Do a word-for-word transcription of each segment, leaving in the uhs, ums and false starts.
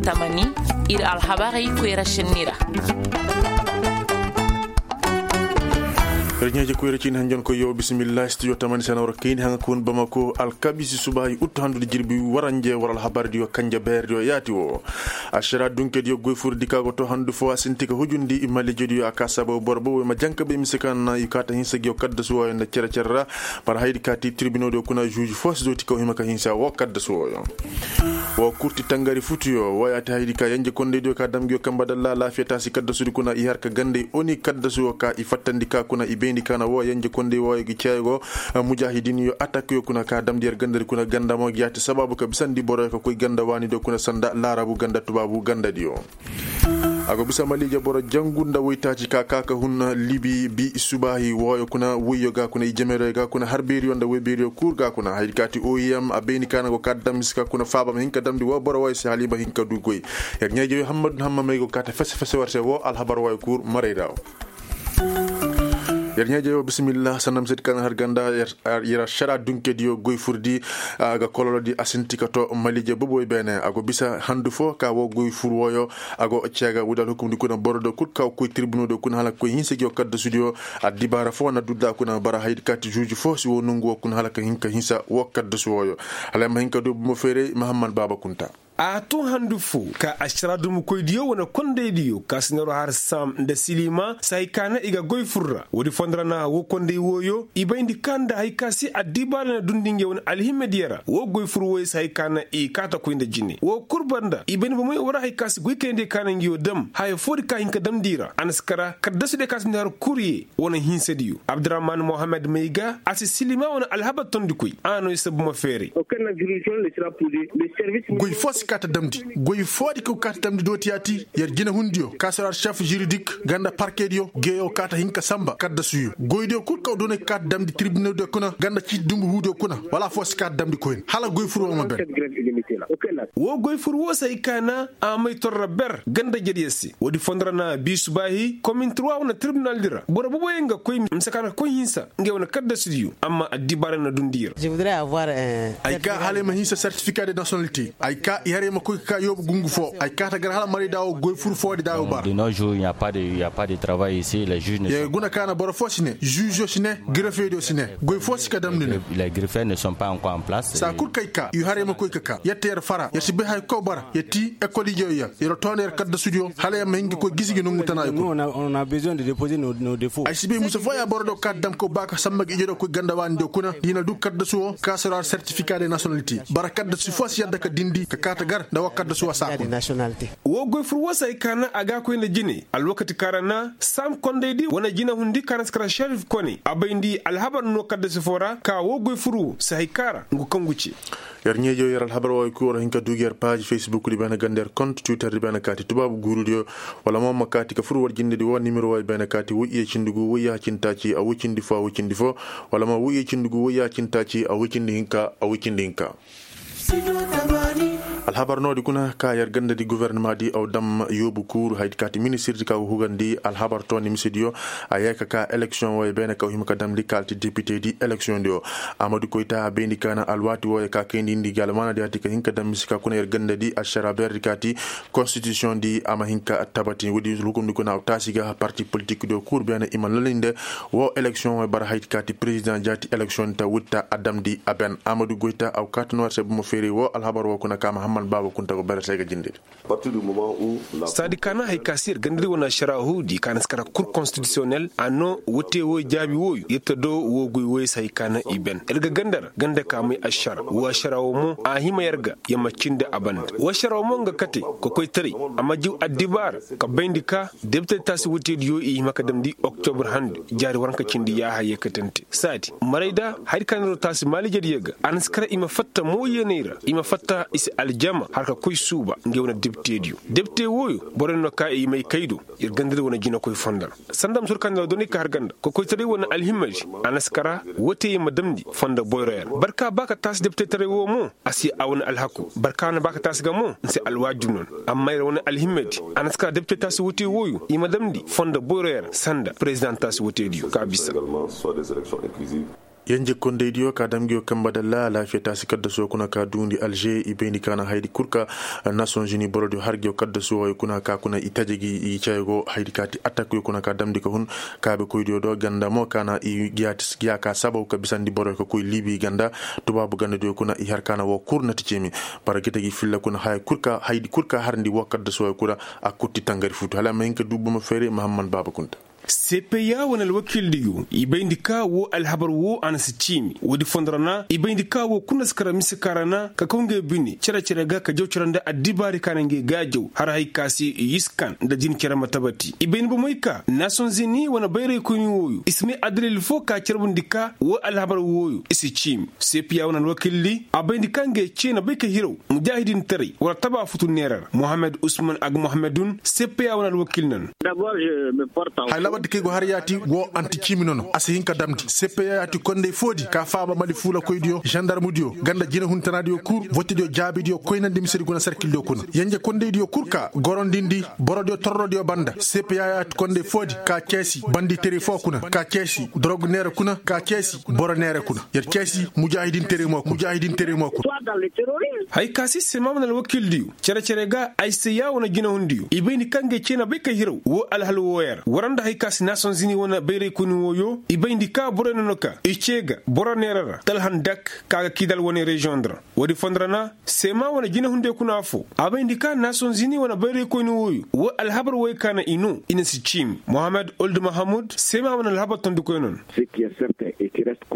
Tamani, ir alhabarey koyra šenni ra. Yer ɲaaje koyra ciini hanjankoy yo bisimilla studio tamani sena war kayni haŋa ka hun bamako alkabisi subaahi uttu handudi jirbi waranje war alhabardiyo kanje beerdiyo yaati wo. Ašara dunkediyo goy furdi ka go to handu fo a sinti ka hujundi malijediyo a ka sababu boro boboy ma janka bay mise kaŋ na i kaata hinsa giyo kaddasu wooyo nda cere-cere ra. Bara haydi kaati tirbinodiyo kuna žuuž fo si dooti kaw hima ka hinsa wo kaddasu wooyo. Wo kurti tangari futuyo wo yaati haydi ka yenje kondaydiyo ka dam ngiyo kamba dalla alaafiya taasi kaddasudi kuna i har ka gandey oni kaddasu wo ka i fattandi ka kuna i bayndi ka na wo yenje konday wooyo gi ceego. Mujaahidinyo atakyo kuna ka damndi yer gandadi kuna ganda mo gi yaati sabaabu ka bisandi boroyo ka koy ganda waanidiyo kuna sanda laarabu ganda tubaabu gandadiyo. A go bisa maliije boro jangu nda woytaaci ka ka ka hun libi bi subaahi wooyo kuna woyyo ga kuna i jemeroyo ga kuna har beeriyo nda woy beeriyo kul ga kuna haydi kaati oyem a bayni ka na go ka damndi si ka kuna faaba ma hin ka damndi woo boro wooyo se hala i ma hin ka du goy. Yer ɲaaje yo hammadu hammamey go kaate fese fese war se woo alhabar wooyo kul maray ra wo. Yer ɲaaje yo bisimilla sanda misedi ka na har ganda. Yer ašara dunkediyo goy furdi a ga kololodi a sinti ka to maliije boboy beene a go bisa handu fo ka woo goy fur wooyo. A go ceega woodi alhukumdi kuna borodiyo kul ka go koy tirbinodiyo kuna hala ka koy hinsa gi woo kaddasudiyo. Addibaara fo na dudda kuna bara haydi kaati žuuž fo si woo nongu woo kuna hala ka hin ka hinsa woo kaddasu wooyo. Hala ay ma hin ka du bumo feeray mahammad baaba kunta. A tun handu fo ka ašara dumukoydiyo wane kondaydiyo ka si neero har saam nda silima si hay ka na i ga goy fur ra woodi fondo ra na woo konday wooyo i bayndi ka nda hay ka se addibaara na dundi nge wane alhimediyo ra woo goy fur wooyo si hay ka na i kaata koy nda jine woo kul banda i bayndi bomoy woo ra hay ka se goy kayndi ka na ngiyo dam haya foodi ka hin ka damndi ra a na si kara kaddasudiyo ka si neero har kurye wane hinsadiyo abdurahman mohammed may ga a si silima wane alhabar tondikoy a no i si bumo feeray. Goy foo si kaa ta damndi goy foodi kaw kaa ta damndi dooti yaati yer jinehundiyo kaasaraar šef žiridik ganda parkediyo geeyo kaa ta hin ka sanba kaddasuyo goydiyo kul kaw doonay ka kaa ta damndi tirbinediyo kuna ganda ciiti dumbu huudiyo kuna wala afoo si kaa ta damndi koyne hala goy fur woo ma ben. Woo goy fur woo si hay ka na a may torra ber ganda jeryer se woodi fondo ra na bii subaahi komin turwa wane tirbinaldi ra boro boboyaŋ ga koy mise ka na ka koy hinsa ngey wane kaddasudiyo amma addibaara na dundi i ra. Ay kaa hala ay ma hinsa sertifika de nasonalite ay kaa i har ay ma koy ka kaa yoobu gungu foo ay kaa ta gar hala marayda woo goy fur foodi da woo bara. Yer guna ka na boro foo si ne žuužo si ne grefediyo si ne goy foo si ka damndi ne. Saa kul kay kaa i har ay ma koy ka kaa yer te yer fara yer si bay haya kul kaw bara yer ti ekol ijeyo yer yer toona yer kaddasudiyo hala yer ma hin ga koy gisi gi nongu tanaayo kul. Ay si bay mise fooya borodiyo ka dam kaw ba ka sanba ga ijediyo koy ganda waanidiyo kuna da i na duu kaddasu woo ka sora sertifika de nasonalite bara kaddasu foo si yadda ka dindi ka kaa ta gar nda woo kaddasu woo saa kul. Woo goy fur woo si hay ka na a ga a koy nda jine alwakati ka ra na saam kondaydi wane jinehundi ka na si kara šerif kone a bayndi alhabar no kaddasi foo ra ka woo goy fur woo si hay ka ra ngu kaŋ gu ce. Yer ɲeejo yer alhabar wooyo kul war hin ka duu gi yer paazi fesbukdi beene ganda yer kont twitterdi beene kaati tubaabu guurudiyo wala mo ma kaati ka fur war jindedi woo nimero wooyo beene kaati woy iye cindi gu woy yaaha cindi taaci a woy cindi foo a woy cindi foo wala mo woy iye cindi gu woy yaaha cindi taaci a woy cindi hinka a woy cindi hinka. Alhabar noodi kuna ka yer gandadi gofornamadi aw dam yoobu kuuru haydi kaati ministirdi ka go hugandi alhabar tooni misediyo. A yee ka kaa eleksiyoŋ wooyo beene ka hima ka damndi ka alti depitedi eleksiyoŋdiyo. Amadu koyta a bayndi ka na alwaati wooyo ka kayndi indi gi almaanadi hati ka hin ka dam mise ka kuna yer gandadi ašara beerdi kaati konstitisiyoŋdi a ma hin ka tabati woodi hukumdi kuna aw taasi ga parti politikdiyo kuuru beene i ma lalinde. Woo eleksiyoŋ wooyo bara haydi kaati perezidaŋ jaati eleksiyoŋdi ta woodi ta a damndi a ben amadu goyta aw kaati no war se bomo feeray woo alhabar woo kuna ka mahammad baaba kunta go berese ga jindedi. Saadi ka na hay ka se yer gandadi wane ašara huudi ka na si kara kur konstitisiyonel a no wote wooyo jaabi wooyo yer ta doo woo goy wooyo se hay ka na i ben yer ga ganda ra ganda ka may ašara woo ašara woo mo a hima yer ga yer ma cindi a banda woo ašara woo mo nga kate kokoytaray a ma jiw addibaara ka bayndi ka depite taasi woteediyo i hima ka damndi oktobur handi jaari waranka cindi yaaha yeekatante saadi marayda hari ka neeroo taasi maalijediyo ga a na si kara i ma fatta mooyeeney ra i ma fatta i si aljama har ka koy suuba ngey wane depiteediyo depite wooyo borey no ka i may kay do yer gandadi wane jinekoy fondo ra sanda ma sor ka neeroo doney ka har ganda kokoytaray wane alhimadi a na si kara wootey ma damndi fondo boyroyo ra barka ba ka taasi depitetaray woo mo a si a wane alhaku barka na ba ka taasi ga mo ni si alwaajib no ni amma yer wane alhimmedi a na si ka depite taasi wote wooyo i ma damndi fondo boyroyo ra sanda perezidaŋ taasi wotediyo ka bisa. Yenje kondaydiyo ka dam ngiyo kanba dalla alaafiya taasi kaddasuwa kuna ka duundi alže i bayndi ka na haydi kul ka nasonzini borodiyo har ngiyo kaddasuwa kuna ka kuna i taje gi i caya go haydi ka ti attakiyo kuna ka damndi ka hun kaabekoydiyo do ganda mo ka na i giya ka sabaw ka bisandi boroyo ka koy libi ganda. Tubaabu gandadiyo kuna i har ka na woo kul na ti ceemi. Bara gita gi filla kuna haya kul ka haydi kul ka harndi woo kaddasuwa kuna a kul ti tangari futu hala a ma hin ka duu bomo feere mahamman baaba kunta. Sepeya wane alwakildiyo i bayndi ka woo alhabar woo a na si ciimi woodi fondo ra na i bayndi ka woo kul na si kara mise ka ra na ka kaw ngey bine cere-cere ga ka jaw cere nda addibaari ka na ngey gaajaw har hay ka se i yiskan nda jin cere ma tabati i bayndi bomey ka nasonzini wane bayraykoyni wooyo i si may addalil foo ka carbundi ka woo alhabar wooyo i si ciimi. Sepeya wane alwakildi a bayndi ka ngey cee na bay ka hiraw mujaahidintaray war taba futu neera ra mohammed usman agmohammedun sepeya wane alwakil nan. Haya laabandi kaŋ ay go har yaati woo anti ciimi nono a si hin ka damndi sepeya yaati konday foodi ka faaba mali fuulakoydiyo zandarmudiyo ganda jinahuntanadiyo kul votidiyo jaabidiyo koynandi misedi guna sarkildiyo kuna yanje kondaydiyo kul ka gorondindi borodiyo torrodiyo banda sepeya yaati konday foodi ka ceesi banditari foo kuna ka ceesi dorogu neera kuna ka ceesi boro neera kuna yer ceesi mujaahidintaray mo kuna. Hay ka si seema wane alwakildiyo cere-cere ga ay se ya wane jinahundiyo i bayndi ka ngey cee na bay ka hiraw woo alhal wooyo ra war nda hay ka si nasonzini wane bayraykoyni wooyo i bayndi ka borey nono ka i cee ga boro neera ra talhandak ka ga kidal wane reziyoŋ ra. Woodi fondo ra na seema wane jinahundiyo kuna affoo a bayndi ka nasonzini wane bayraykoyni wooyo woo alhabar wooyo ka na i noo i na si ciimi mohammed old mahamud seema wane alhabar tondikoy nono.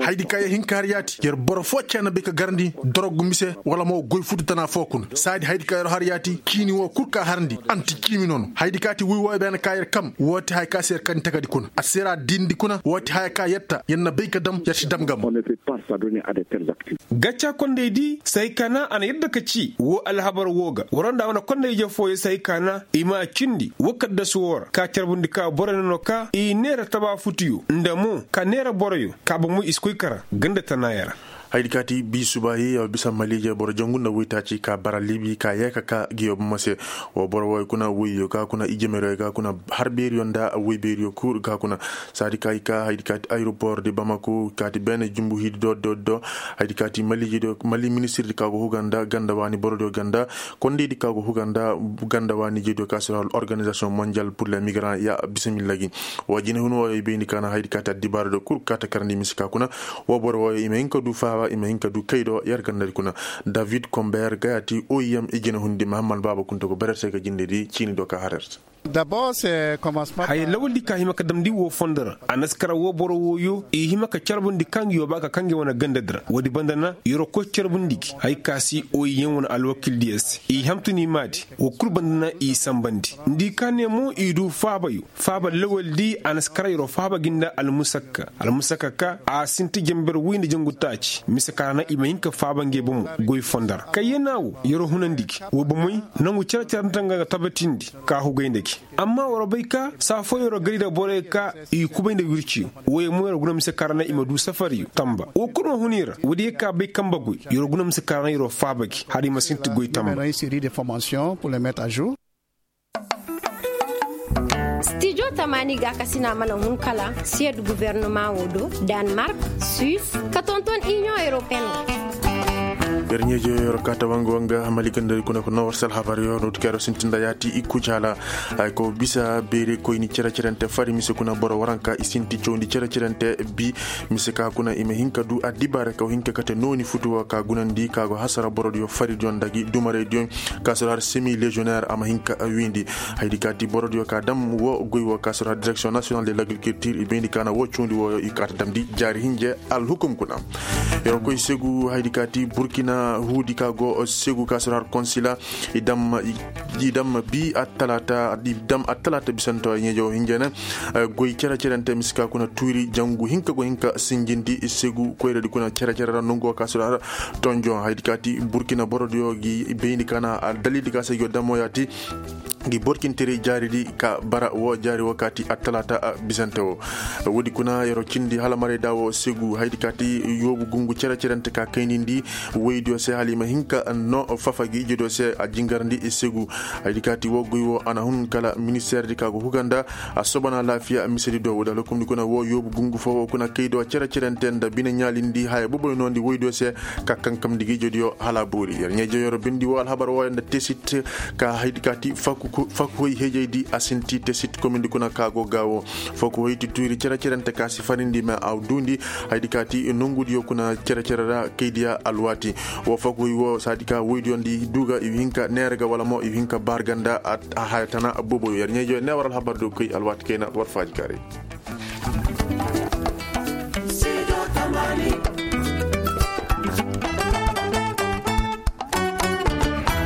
Hayadi ka ya hin ka har yaati yer boro foo cee na bay ka garndi dorogu mise wala mo goy futu tana foo kuna saadi hayadi ka yer har yaati ciini woo kul ka harndi anti ciimi nono hayadi ka ti wuy wooyo beene ka yer kam woo ti haya ka se yer kani takadi kuna a se ra dindi kuna woo ti haya ka yer ta yer na bay ka dam yer si dam ga mo. Gacca kondaydi si hay ka na a na yadda ka ci woo alhabar woo ga war nda a wane konday-ije fooyo si hay ka na i ma a cindi woo kaddasu woo ra ka carbundi ka borey nono ka i neera taba futuyo nda mo ka neera boroyo ka bomoy i si koy kara ganda tanaayo ra. Hayadi ka ti bii subaahi yaw bisa maliije boro jangu nda woytaaci ka bara libi ka yee ka ka ngiyo bomo se. Woo boro wooyo kuna woyyo ka kuna ijemeryo ka kuna har beeriyo nda woy beeriyo kul ka kuna saadi ka i ka hayadi ka ti ayeropoor di bamako ka ti beene jumbu hiidi do do do. Hayadi ka ti maliije do mali ministirdi ka go huga nda ganda waani borodiyo ganda kondaydi ka go huga nda ganda waani jediyo ka si ra organizasiyoŋ monjal pur le migrant ya bisimilla gi. Wa jinahun wooyo i bayndi ka na hayadi ka ti addibaaradiyo kul ka ta karandi mise ka kuna. Woo boro wooyo i ma hin ka du faaba i ma hin ka du kay do yer gandadi kuna. David komber ga ya ti oim i jinahundi mahamman baaba kunta go barer se ga jindedi ciini do ka har yer se. Haya lawaldi ka hima ka damndi woo fondo ra a na si kara woo boro wooyo i hima ka carbundi ka ngi yoo ba ka ka ngi wane gandadi ra woodi banda na yeroo koy carbundi gi hay ka si oim wane alwakildiyo se i hamtuni maadi. Woo kul banda na i sambandi nda i ka ne mo i du faabayo faaba lawaldi a na si kara yeroo faaba gi nda almusakka almusakka ka a sinti janber woy nda jangu taaci mise ka ra na i ma hin ka faaba ngey bomo. Goy fondo ra kayyana woo yeroo hunandi gi woo bomoy nangu cere-cere nda tanga ga tabatindi ka hugay nda gi. Amma war bay ka saa foo yeroo gari nda borey ka i kubay nda wirciyo wooyo mo yeroo guna mise ka ra na i ma du safariyo tamba woo kul ma hun i ra woodiyo ka bay kanba goy yeroo guna mise ka ra na yeroo faaba gi hala i ma sinti goy tamba. Stijo tamaani gaakasina mana hun kala siyed guverneman woo do, danmark, suis, ka tonton iniyoŋ europeen ra. Yer ɲeeje yer kaata wanga wanga mali gandari kuna ko nowar sal habar yo no ti kero sintinda yaati i kujaala. Ay ko bisa beeri koyni cere-cerente fari mise kuna boro waranka i sinti cawndi cere-cerente bi mise ka kuna i ma hinka du addibaare kaw hinka kate nooni futu wo ka gunandi ka go hasara borodiyo faridiyo nda gi dumaraydiyo. Ka soro har semi légionnaire a ma hin ka wiindi. Haydi ka ti borodiyo ka dam wo goy wo ka soro har direction nationale de l'agriculture i bayndi ka na wo cawndi wo i ka ta damndi jaari hinje alhukum kuna. Yer koy segu haydi ka ti burkina huudi ka go segu ka soro har konsila i dam i dam bi attalaata i dam attalaata bisanto ɲeejo hinje ne. Goy cere-cerente miska kuna tuuri jangu hinka go hinka sinjindi segu koyradi kuna cere-cere ra nongu wo ka soro har tonjon haydi ka ti burkina borodiyo gi bayndi ka na aldalildi ka se gi yo damoyaati. Gi borkintere jaaridi ka bara wo jaari wo ka ti attalaata bisante wo. Woodi kuna yero cindi hala maray da wo segu haydi ka ti yoobu gungu cere-cerente ka kaynindi. Woydi Yo se hala i ma hin ka no fafa gi ijo do se a jingarandi i segu. Haydi ka ti woo goy woo a na hun kala ministeerdi ka go huga nda a soba na alaafiya misedi do woo da lokumdi kuna woo yoobu gungu foo woo kuna kay do cere-cerente nda bine ɲaalindi haya boboy noondi woy do se ka kankamndi gi ijodiyo hala a boori yer ɲaa-ijo yer bindi woo alhabar wooyo nda tesit. Ka haydi ka ti fakuhoy hejaydi a sinti tesit komindi kuna ka go ga woo. Fakuhoy ti tuuri cere-cerente ka si farindi ma a duundi. Haydi ka ti nongudiyo kuna cere-cere ra kaydiya alwaati. Woo fakuhoy woo saadi ka woydiyo nda i duuga i hin ka neera ga wala mo i hin ka baar ga nda a haya tana boboyo yer ɲaa-ijo ne war alhabar do koy alwaati kayna war faaji kaaray.